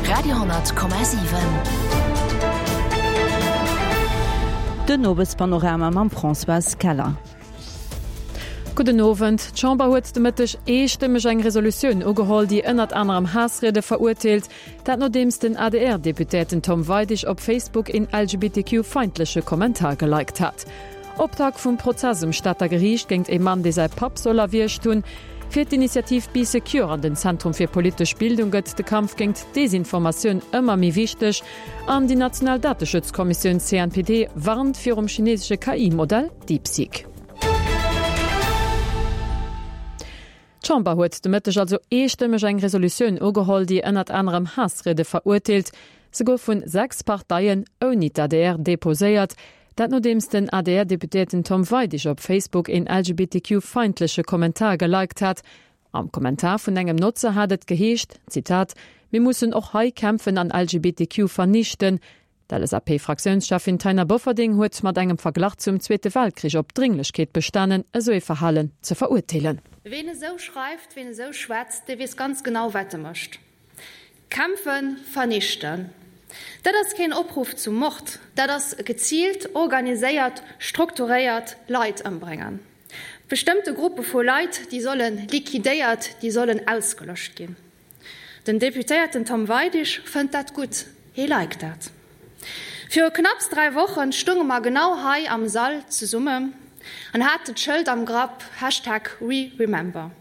Radio,7. Den Owespanorama mam Françoise Keller. Gudden Owend. D'Chamber huet de Mëtteg eestëmmeg eng Resolutioun ugeholl, déi ënnert anerem Haassriede verurteelt. Dat nodeems den ADR-Deputéierten Tom Weidig op Facebook een LGBTQ-feindleche Kommentar geliked hat. Optakt vum Prozess um Stater Geriicht géingt ee Mann, dee säi Papp soll erwiergt hunn. Fir d'Initiativ Bee Secure an den Zentrum fir politesch Bildung gëtt de Kampf géingt d'Desinformatioun ëmmer méi wichteg. An déi national Dateschutzkommissioun CNPD warnt virum chinesesche KI-Modell DeepSeek. D'Chamber huet de Mëtteg also eestëmmeg eng Resolutioun ugeholl, déi ënnert anerem Haassriede verurteelt. Se gouf vun 6 Parteien, ouni d'ADR, deposéiert. Dat nodeems den ADR-Deputéierten Tom Weidig op Facebook een LGBTQ-feindleche Kommentar geliked hat. Am Kommentar vun engem Notzer hat et geheescht, Zitat, Mir mussen och hei kämpfen an LGBTQ vernichten. D'LSAP-Fraktiounscheffin Taina Bofferding huet mat engem Verglach zum Zweete Weltkrich op d'Drénglechkeet bestanen, esou ee Verhalen ze verurteelen. Ween esou schreift, ween esou schwätzt, dee weess ganz genau, wat e mécht. Kämpfen, vernichten. Dat ass keen Opruff zum Mord, dat ass geziilt, organiséiert, strukturéiert Leit ëmbréngen. Bestëmmte Gruppe vu Leit, déi solle liquidéiert, déi sollen ausgelöscht ginn. Den Deputéierten Tom Weidig fënnt dat gutt, hee liked dat. Viru knapps 3 Wochen stunge mer genau hei am Sall zesummen an haten d'Schëld am Grapp Hashtag WeRemember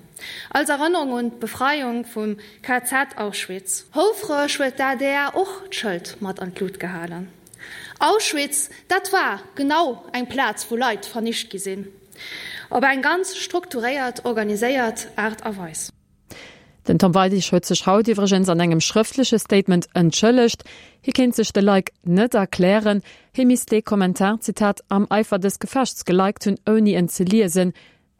als Erënnerung un d'Befreiung vum KZ Auschwitz. Houfreg huet d'ADR och d'Schëld mat an d'Lut gehalen. Auschwitz, dat war genau eng Plaz wou Leit vernicht gi sinn, op eng ganz strukturéiert, organiséiert Aart a Weis. Den Tom Weidig huet sech haut iwwregens an engem schrëftleche Statement entschëllegt. Hie kéint sech de Like net erklären. Hie misst dee Kommentar, Zitat, am Eifer des Gefechts geliked hunn, ouni en ze liesen.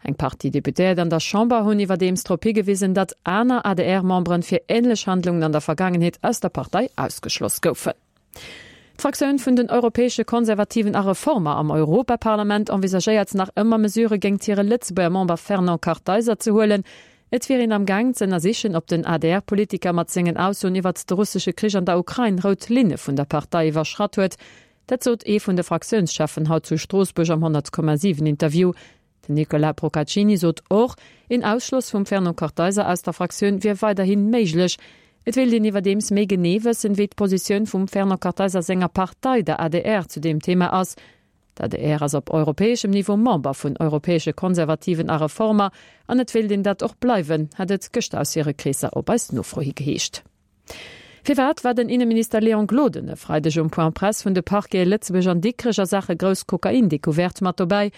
Eng Partie Deputéiert an der Chamber hunn iwwerdeems drop higewisen, datt aner ADR-Memberen fir änlech Handlungen an der Vergaangenheet aus der Partei ausgeschloss goufen. D'Fraktioun vun den Europäesche Konservativen a Reformer am Europaparlament envisagéiert nach ëmmer Mesurë géingt hire Lëtzebuerger Member Fernand Kartheiser ze huelen. Et wier een am Gaang z'ënnersichen, ob den ADR-Politiker mat sengen Aussoen iwwert de russesche Krich an der Ukrain rout Linne vun der Partei iwwerschratt huet. Dat sot ee vun de Fraktiounscheffen haut zu Stroossbuerg am 100,7 Interview. Den Nicolas Procaccini sot och, een Ausschloss vum Fernand Kartheiser aus der Fraktioun wier weiderhi méiglech. Et wéilt een iwwerdeems méi genee wëssen, wéi d'Positioun vum Fernand Kartheiser senger Partei, der adr, zu deem Thema ass. D'adr ass op europäeschem Niveau Member vun Europäesche Konservativen a Reformer an et wéilt een dat och bleiwen, hat et gëschter aus hire Kreesser op eis Nofro hi geheescht. Firwat war den Inneminister Léon Gloden e Freideg um Point Presse vun de Parquete Lëtzebuerg an Dikrech a Saache grouss Kokain-Decouverte mat dobäi?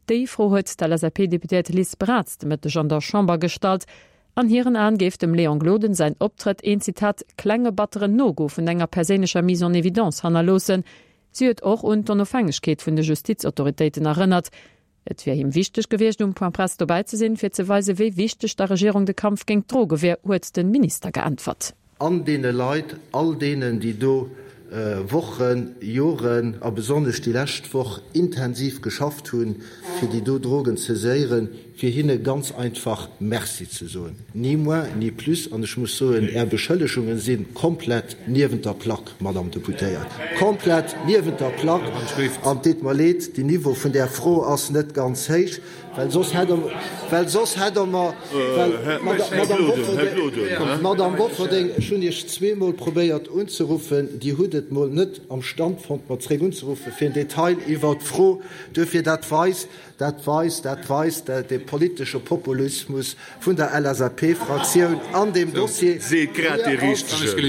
Déi Fro huet d'LSAP-Deputéiert Liz Braz de Mëtteg an der Chamber gestallt. An hiren Aen géif dem Léon Gloden säin Optrëtt een, Zitat, klenge batteren No-Go vun enger perséinlecher Mise en évidence hannerloossen. Si huet och un d'Onofhängegkeet vun de Justizautoritéiten erënnert. Et wier him wichteg gewiescht, um Point Presse dobäi ze sinn, fir ze weisen, wéi wichteg der Regierung de Kampf géingt d'Droge wier, huet de Minister geäntwert. An deene Leit, all deenen, déi do Wochen, Joren a besonnesch déi lescht Woch intensiv geschafft hunn, fir déi do Drogen ze saiséieren, fir hinne ganz einfach Merci ze soen. Ni moins, ni plus. An ech muss soen, Är Beschëllegungen si komplett niewent der Plack, Madame Deputéiert, komplett niewent der Plack. An et deet mer leed, den Niveau vun där Fro ass net ganz héich, well soss hätt Der, well soss hätt Der mer, well, Madame Bofferding, Madame Bofferding, ech hunn Iech zweemol probéiert unzeruffen, Dir hutt et mol net am Stand fonnt, mer zréck unzeruffen, fir en Detail iwwert d'Fro. Duerfir, dat weist, Dat weist, dat weist de politesche Populismus vun der LSAP-Fraktioun an deem Dossier.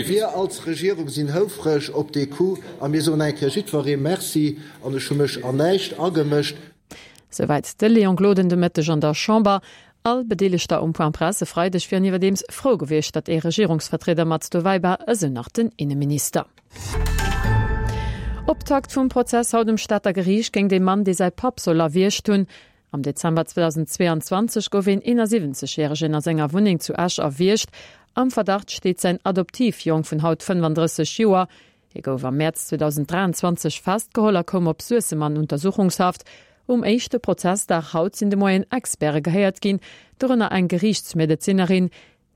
Mir als Regierung sinn houfreg op dee Coup a mir soen eng Kéier jiddweree Merci an ech hu mech an näischt agemëscht. Souwäit de Léon Gloden de Mëtteg an der Chamber. All Bedeelegter um Point Presse e Freideg wieren iwwerdeems frou gewiescht, datt ee Regierungsvertrieder mat dobäi war, esou nach den Inneminister. Optakt vum Prozess haut um Stater Geriicht géint ee Mann, dee säi Papp soll erwiergt hunn. Am Dezember 2022 gouf een 71 Järegen a senger Wunneng zu Esch erwiergt. Am Verdacht steet säin Adoptivjong vun haut 35 Joer. Hie gouf am Mäerz 2023 festgeholl a koum op Suessem an Untersuchungshaft. Um éischte Prozessdag haut sinn de Moien Experte gehéiert ginn, dorënner eng Geriichtsmedezinerin.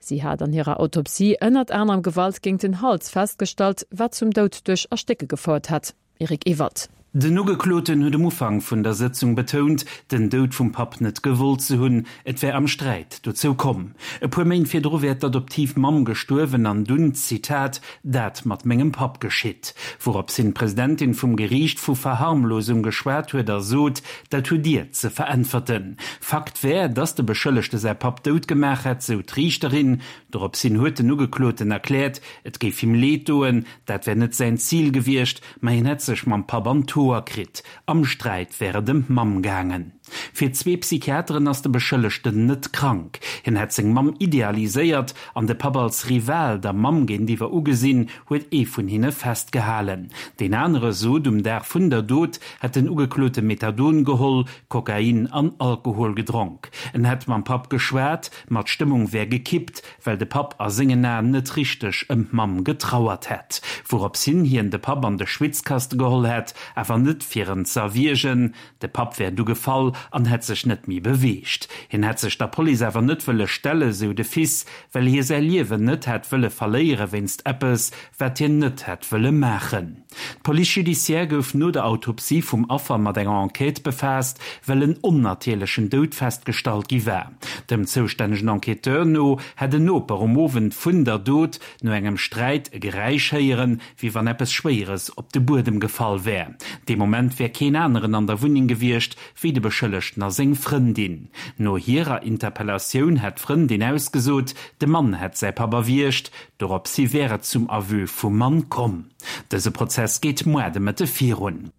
Si hat an hirer Autopsie ënnert anerem Gewalt géint den Hals festgestallt, wat zum Doud duerch Erstécke gefouert hätt. Eric Ewald. Den Ugekloten huet um Ufank vun der Sëtzung betount, den Doud vum Papp net gewollt ze hunn. Et wär am Sträit dozou komm. E puer Méint virdru wär d'Adoptivmamm gestuerwen an dunn, Zitat, dat mat mengem Papp geschitt. Wourops hin d'Presidentin vum Geriicht vu Verharmlosung geschwat huet a sot, Dat hutt Dir ze veräntwerten. Fakt wär, dass de Beschëllegte säi Papp dout gemaach hätt, sou d'Riichterin. Dorops hin huet den Ugekloten erkläert, et géif him leed doen, dat wär net säin Zil gewiescht, ma hien hätt sech mam Papp an d'Hoer kritt. Am Sträit wär et ëm d'Mamm gaangen. Fir zwee Psychiateren ass de Beschëllegten net krank. Hien hätt seng Mamm idealiséiert an de Papp als Rival der Mamm géintiwwer ugesinn, huet ee vun hinne festgehalen. Deen anere sot, um Dag vun der Dot hätt den Ugeklote Methadon geholl, Kokain an Alkohol gedronk. En hätt mam Papp geschwat, ma d'Stëmmung wär gekippt, well de Papp a sengen Aen net richteg ëm d'Mamm getrauert hätt. Wourops hin hien de Papp an de Schwitzkaste geholl hätt, awer net fir en z'erwiergen. De Papp wär du gefall an hätt sech net méi beweegt. Hien hätt sech der Police awer net wëlle stellen, sou de Fils, well hie säi Liewen net hätt wëlle verléiere wéinst eppes, wat hien net hätt wëlle maachen. D'Police judiciaire gouf no der Autopsie vum Affer mat enger Enquête befaasst, well en onnatierlechen Doud festgestallt gi war. Dem zoustännegen Enquêteur no hätt en Noper um Owend vun der Dot no engem Sträit e Geräisch héieren, wéi wann eppes Schwéieres op de Buedem gefall wär. Dee Moment wär keen aneren an der Wunneng gewiescht, wéi de Beschëllegten a seng Frëndin. No hirer Interpellatioun hätt d'Frëndin ausgesot, de Mann hätt säi Papp erwiergt. Doropshi wär et zum Aveu vum Mann komm. Dëse Prozess geet moar de Mëtte virun.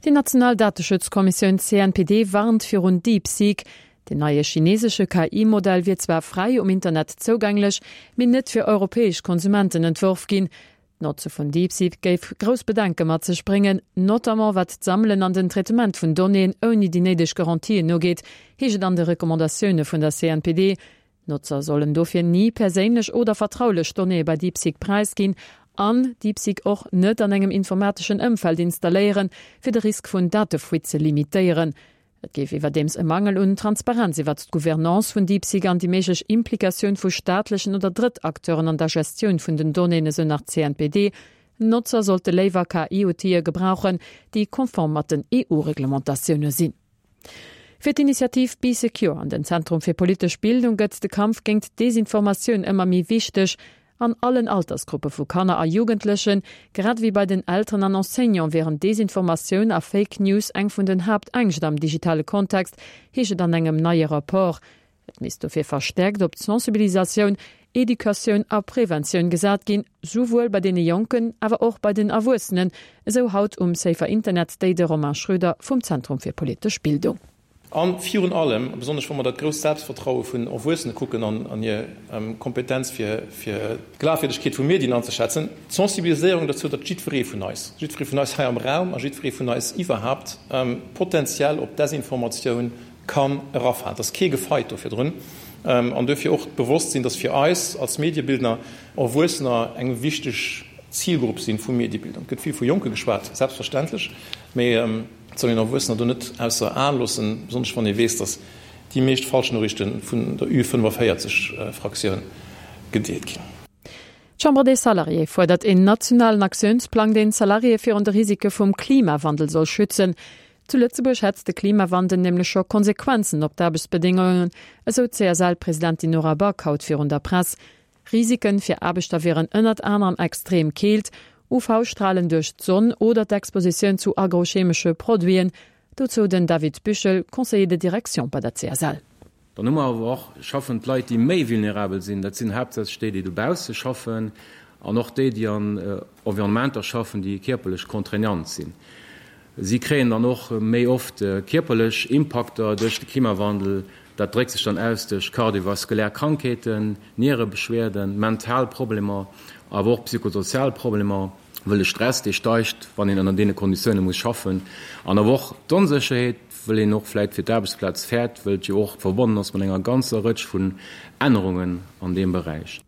Déi national Dateschutzkommissioun CNPD warnt virun DeepSeek. Den neie chinesesche KI-Modell wier zwar fräi um Internet zougänglech, mee net fir europäesch Konsumenten entworf ginn. D'Notze vun DeepSeek géif grouss Bedenke mat sech bréngen, notamment wat d'Sammelen an den Traitement vun Donnéeën ouni déi néideg Garantien ugeet, heescht et an de Recommandatioune vun der CNPD. D'Notzer sollen dofir ni perséinlech oder vertraulech Donnéeë bei DeepSeek präisginn an DeepSeek och net an engem informateschen Ëmfeld installéieren, fir de Risk vun Datefuite ze limitéieren. Et géif iwwerdeems e Mangel un Transparenz iwwert d'Gouvernance vun DeepSeek an déi méiglech Implikatioun vu staatlechen oder Drëttakteuren an der Gestioun vun den Donnéeën, esou nach d'CNPD. Notzer sollte léiwer KI-Outile gebrauchen, déi konform mat den EU-Reglementatioune sinn. Fir d'Initiativ Bee Secure an den Zentrum fir politesch Bildung gëtt de Kampf géingt d'Desinformatioun ëmmer méi wichteg. An allen Altersgruppe vu Kanner a Jugendlechen, grad ewéi bei den Elteren an Enseignante wieren Desinformatioun a Fake News eng vun den Haaptängscht am digitale Kontext, heescht et an engem neie Rapport. Et misst dofir verstäerkt op d'Sensibilisatioun, Educatioun a Preventioun gesat ginn, souwuel bei deene Jonken, awer och bei den Erwuessenen, esou haut um Safer Internet Day de Romain Schröder vum Zentrum fir politesch Bildung. A virun allem, a besonnesch wa mer dat grousst Selbstvertraue vun Erwuessene kucken an hir Kompetenz fir d'Glafwierdegkeet vu Medien anzeschätzen, d'Sensibiliséierung dozou, datt jiddweree vun eis, jiddweree vun eis hei am Raum a jiddweree vun eis iwwerhaapt potenziell op Desinformatioun kann erafalen. Et ass kee gefeit do virdrun. An duerfir och d'Bewosstsinn, dass fir eis als Mediebildner Erwuessener eng wichteg Zilgrupp si vu Mediebildung. Et gëtt vill vu Jonke geschwat, selbstverständlech, mee et soll een Erwuessener do net ausser Aen loossen, besonnesch wann ee weess, dass déi meescht Falschnoriichte vun der Ü45-Fraktioun gedeelt ginn. D'Chambre des Salariés fuerdert een nationalen Aktiounsplang, deen d'Salariéë virun de Risike vum Klimawandel soll schützen. Zu Lëtzebuerg hätt de Klimawandel nämlech scho Konsequenzen op d'Aarbechtsbedéngungen, esou d'CSL-Presidentin Nora Back haut virun der Press. Risiken fir Aarbechter wieren ënnert anerem extrem Keelt, UV-Stralen duerch d'Sonn oder d'Expositioun zu agrochemesche Produiten. Dozou den David Büchel, Conseiller de direction bei der CSL. Dann hu mer awer och schaffend Leit, déi méi vulnerabel sinn. Dat sinn haaptsächlech déi, déi dobausse schaffen an och déi, déi an Environnementer schaffen, déi kierperlech contraignant sinn. Si kréien dann och méi oft kierperlech Impakter duerch de Klimawandel. Dat dréckt sech dann aus duerch kardiovaskulär Krankheeten, Nierebeschwerden, mental Problemer, awer och psychosozial Problemer, wëll de Stress, dee steigt, wann een ënner deene Konditioune muss schaffen, an awer och d'Onsécherheet, wëll een och vläit fir d'Aarbechtsplaz fäert, wëll et jo och verbonnen ass mat enger ganzer Rëtsch vun Ännerungen an deem Beräich.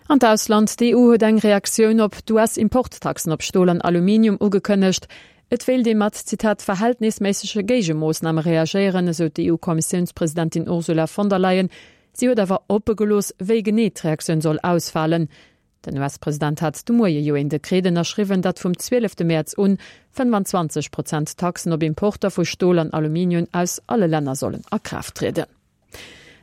An d'Ausland, D'EU huet eng Reaktioun op d'US-Importtaxen op Stol an Aluminium ugekënnegt. Et wéilt ee mat, Zitat, verhältnisméissege Géigemoossname reagéieren, esou d'EU-Kommissiounspresidentin Ursula von der Leyen. Si huet awer oppe gelooss, wéi genee d'Reaktioun soll ausfalen. Den US-President hat de Moie jo een Dekret ënnerschriwwen, dat vum 12 Mäerz un 25 Prozent Taxen op Importer vu Stol an Aluminium aus alle Länner sollen a Kraaft trieden.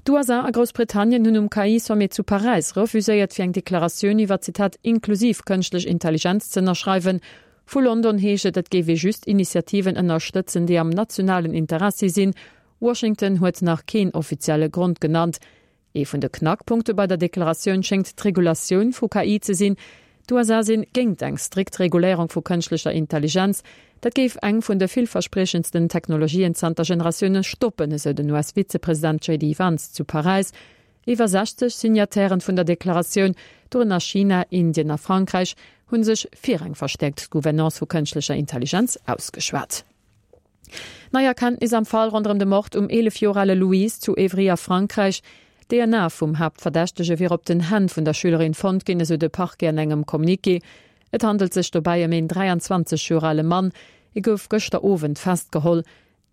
D'USA a Groussbritannien hunn um KI-Sommet zu Paräis refuséiert, fir eng Deklaratioun iwwer, Zitat, inklusiv kënschtlech Intelligenz ze ënnerschreiwen. Vu London heescht et, et géif ee just Initiativen ënnerstëtzen, déi am nationalen Interessi sinn. Washington huet nach keen offizielle Grond genannt. Ee vun de Knackpunkte bei der Deklaratioun schéngt d'Regulatioun vu KI ze sinn. D'USA sinn géingt eng strikt Reguléierung vu kënschtlecher Intelligenz. Dat géif eng vun de villverspriechendsten Technologien zanter Generatioune stoppen, esou den US-Vizepresident JD Vance zu Paräis. Iwwer 60 Signatairen vun der Deklaratioun, dorënner China, Indien a Frankräich, hu sech fir eng verstäerkt Gouvernance vu kënschtlecher Intelligenz ausgeschwat. Nei Erkenntnis am Fall ronderëm de Mord um 11 Joer ale Louise zu Évry a Frankräich. D'DNA vum Haaptverdächtege wier op den Hänn vun der Schülerin fonnt ginn, esou de Parquet an engem Communiqué. Et handelt sech dobäi ëm een 23 Joer ale Mann. Hie gouf gëschter Owend festgeholl.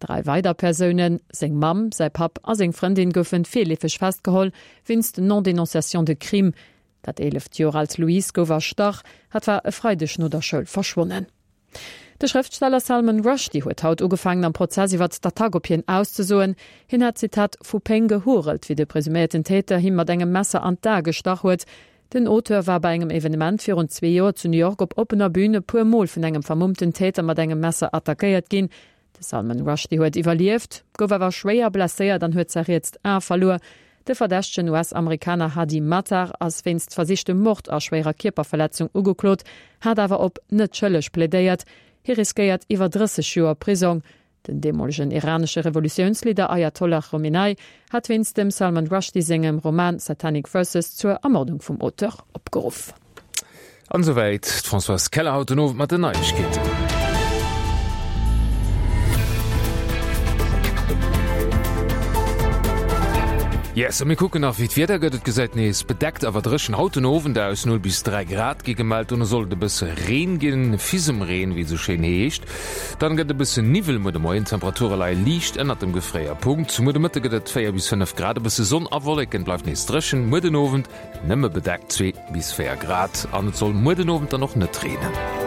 Dräi weider Persounen, seng Mamm, säi Papp a seng Frëndin, goufe virleefeg festgeholl wéinst Non-dénonciation de crime. Dat 11 Joer alt Louise gouf erstach. Hat war e Freideg no der Schoul verschwonnen. De Schrëftsteller Salman Rushdie huet haut ugefaangen am Prozess iwwert d'Attack op hien auszesoen. Hien hat, Zitat, vu Péng gehurelt, wéi de presuméierten Täter him mat engem Messer an d'A gestach huet. Den Auteur war bei engem Evenement virun zwee Joer zu New York op oppener Bün e puer Mol vun engem vermummten Täter mat engem Messer attackéiert ginn. De Salman Rushdie huet iwwerlieft, gouf awer schwéier blesséiert an huet säi rietst A verluer. De verdächtegen US-Amerikaner Hadi Matar ass wéinst versichtem Mord a schwéierer Kierperverletzung ugeklot, hat awer op net schëlleg plädéiert. Hie riskéiert iwwer 30 Joer Prisong. Den deemolegen iranesche Revolutiounsleader Ayatollah Chomenei hat wéinst dem Salman Rushdie sengem Roman Satanic Verses zur Ermordung vum Auteur opgeruff. An esouwäit d'Françoise Keller haut den Owend mat den Neiegkeeten. Yes, a mir kucken nach wéi d'Wieder gëtt. Et gesäit nees bedeckt awer dréchen haut den Owend aus, 0 bis 3 Grad gi gemellt. Dono soll et e bësse Reen ginn, Fisemreen wéi et esou schéin heescht. Dann gëtt e bëssen Niwwel muer de Moien, d'Temperature leie liicht ënnert dem Gefréierpunkt. Muer de Mëtte gëtt et 4 bis 5 Grad, e bësse Sonn a Wolleken, bleift nees dréchen. Muer den Owend Nëmme bedeckt 2 bis 4 Grad an et soll muer den Owend dann och net reenen.